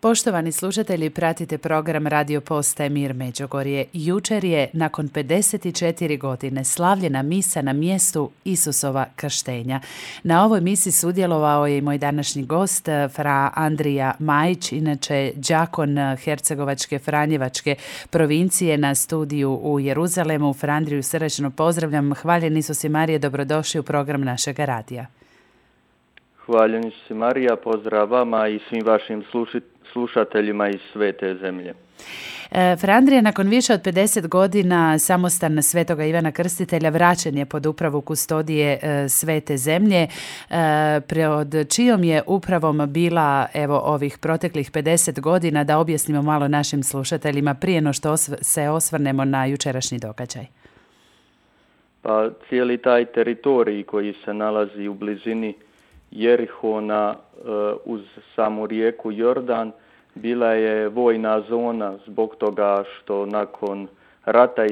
Poštovani slušatelji, pratite program Radio Postaje Mir Međugorje. Jučer je, nakon 54 godine, slavljena misa na mjestu Isusova krštenja. Na ovoj misi sudjelovao je i moj današnji gost, fra Andrija Majić, inače đakon Hercegovačke Franjevačke provincije na studiju u Jeruzalemu. Fra Andriju srdačno pozdravljam. Hvaljen Isus i Marije, dobrodošli u program našeg radija. Hvaljen Isus i Marija, pozdrav vama i svim vašim slušateljima iz svete zemlje. Fra Andrija, nakon više od 50 godina samostan Svetoga Ivana Krstitelja vraćen je pod upravu kustodije svete zemlje, pod čijom je upravom bila ovih proteklih 50 godina, da objasnimo malo našim slušateljima prije no što se osvrnemo na jučerašnji događaj. Pa cijeli taj teritorij koji se nalazi u blizini Jerihona uz samu rijeku Jordan bila je vojna zona zbog toga što nakon rata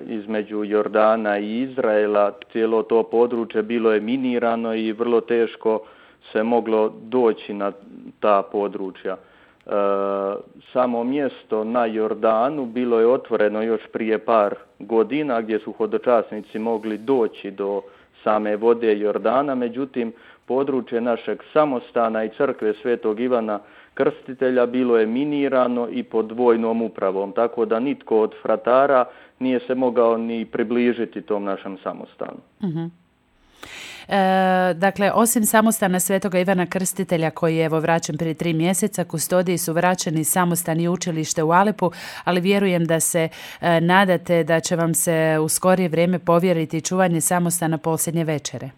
između Jordana i Izraela cijelo to područje bilo je minirano i vrlo teško se moglo doći na ta područja. Samo mjesto na Jordanu bilo je otvoreno još prije par godina gdje su hodočasnici mogli doći do same vode Jordana, međutim područje našeg samostana i crkve Svetog Ivana Krstitelja bilo je minirano i pod vojnom upravom, tako da nitko od fratara nije se mogao ni približiti tom našem samostanu. Uh-huh. Dakle, osim samostana Svetoga Ivana Krstitelja koji je vraćen prije 3 mjeseca, kustodiji su vraćeni samostan i učilište u Alepu, ali vjerujem da se nadate da će vam se u skorije vrijeme povjeriti čuvanje samostana posljednje večere.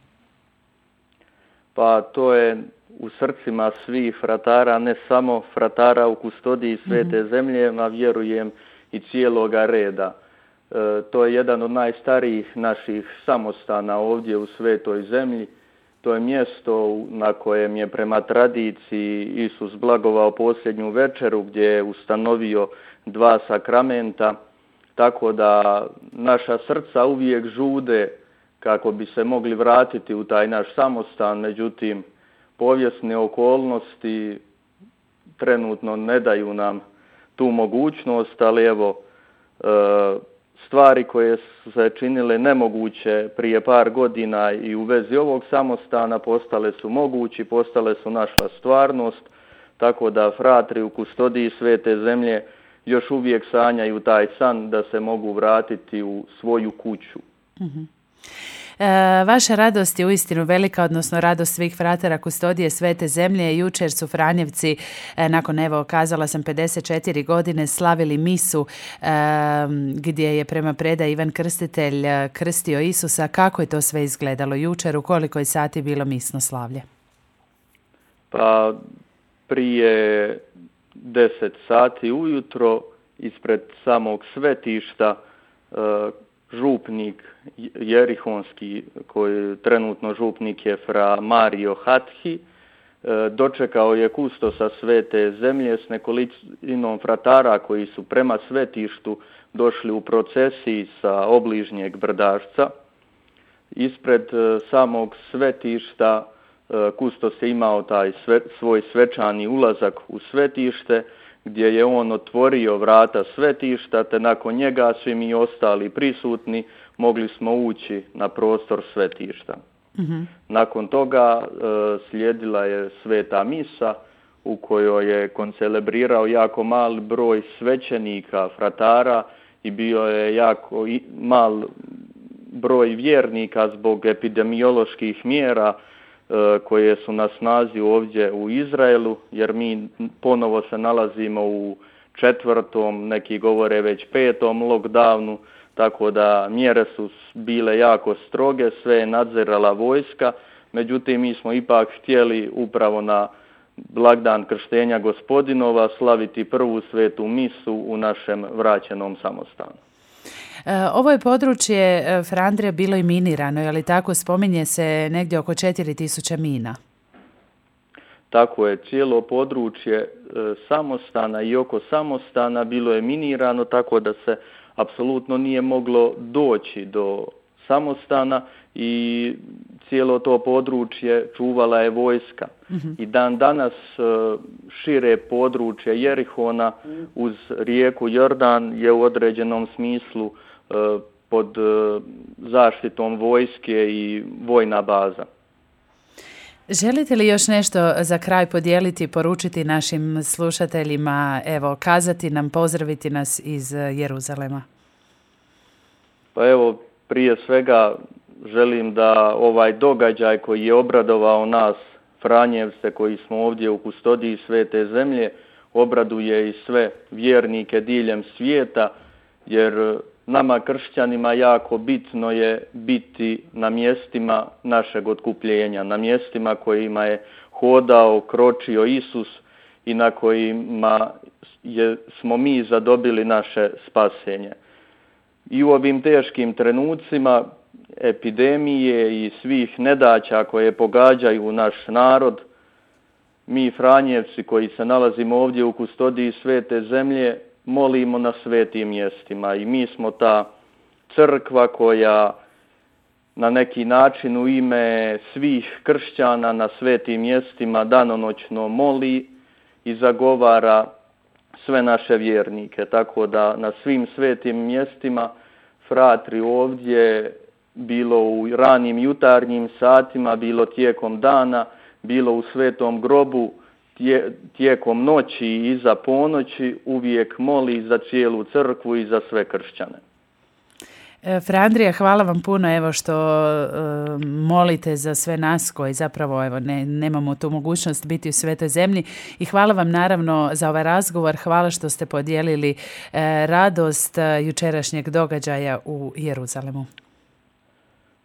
Pa to je u srcima svih fratara, ne samo fratara u kustodiji svete zemlje, a vjerujem i cijeloga reda. To je jedan od najstarijih naših samostana ovdje u svetoj zemlji. To je mjesto na kojem je prema tradiciji Isus blagovao posljednju večeru gdje je ustanovio 2 sakramenta, tako da naša srca uvijek žude kako bi se mogli vratiti u taj naš samostan, međutim povijesne okolnosti trenutno ne daju nam tu mogućnost, ali stvari koje su se činile nemoguće prije par godina i u vezi ovog samostana postale su mogući, postale su naša stvarnost, tako da fratri u kustodiji svete zemlje još uvijek sanjaju taj san da se mogu vratiti u svoju kuću. Uh-huh. Vaša radost je uistinu velika, odnosno radost svih fratera kustodije svete zemlje. Jučer su Franjevci, nakon kazala sam 54 godine, slavili misu gdje je prema predaji Ivan Krstitelj krstio Isusa. Kako je to sve izgledalo jučer? U koliko je sati bilo misno slavlje? Pa prije 10 sati ujutro ispred samog svetišta župnik jerihonski, koji trenutno župnik je fra Mario Hathi, dočekao je kustosa svete zemlje s nekolicinom fratara koji su prema svetištu došli u procesiji sa obližnjeg brdašca. Ispred samog svetišta kustos je imao taj svoj svečani ulazak u svetište, gdje je on otvorio vrata svetišta, te nakon njega svi mi ostali prisutni mogli smo ući na prostor svetišta. Uh-huh. Nakon toga slijedila je sveta misa u kojoj je koncelebrirao jako mali broj svećenika, fratara, i bio je jako mal broj vjernika zbog epidemioloških mjera koje su na snazi ovdje u Izraelu, jer mi ponovo se nalazimo u 4., neki govore već 5. lockdownu, tako da mjere su bile jako stroge, sve je nadzirala vojska, međutim mi smo ipak htjeli upravo na blagdan krštenja Gospodinova slaviti prvu svetu misu u našem vraćenom samostanu. Ovo je područje, fra Andrija, bilo i minirano, je li tako? Spominje se negdje oko 4000 mina. Tako je, cijelo područje samostana i oko samostana bilo je minirano, tako da se apsolutno nije moglo doći do samostana i cijelo to područje čuvala je vojska. I dan danas šire područje Jerihona uz rijeku Jordan je u određenom smislu pod zaštitom vojske i vojna baza. Želite li još nešto za kraj podijeliti, poručiti našim slušateljima, evo, kazati nam, pozdraviti nas iz Jeruzalema? Pa evo, prije svega želim da ovaj događaj koji je obradovao nas, Franjevce, koji smo ovdje u kustodiji Svete zemlje, obraduje i sve vjernike diljem svijeta, jer nama kršćanima jako bitno je biti na mjestima našeg otkupljenja, na mjestima kojima je hodao, kročio Isus i na kojima smo mi zadobili naše spasenje. I u ovim teškim trenucima epidemije i svih nedaća koje pogađaju naš narod, mi Franjevci koji se nalazimo ovdje u kustodiji Svete zemlje, molimo na svetim mjestima i mi smo ta crkva koja na neki način u ime svih kršćana na svetim mjestima danonoćno moli i zagovara sve naše vjernike. Tako da na svim svetim mjestima fratri ovdje, bilo u ranim jutarnjim satima, bilo tijekom dana, bilo u Svetom grobu, tijekom noći i iza ponoći uvijek moli za cijelu crkvu i za sve kršćane. Fra Andrija, hvala vam puno evo što molite za sve nas koji zapravo evo nemamo tu mogućnost biti u Svetoj zemlji i hvala vam naravno za ovaj razgovor, hvala što ste podijelili radost jučerašnjeg događaja u Jeruzalemu.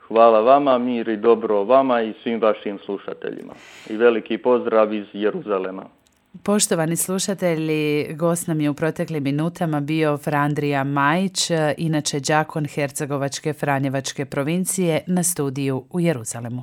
Hvala vama, mir i dobro vama i svim vašim slušateljima. I veliki pozdrav iz Jeruzalema. Poštovani slušatelji, gost nam je u proteklim minutama bio Fra Andrija Majić, inače đakon Hercegovačke Franjevačke provincije na studiju u Jeruzalemu.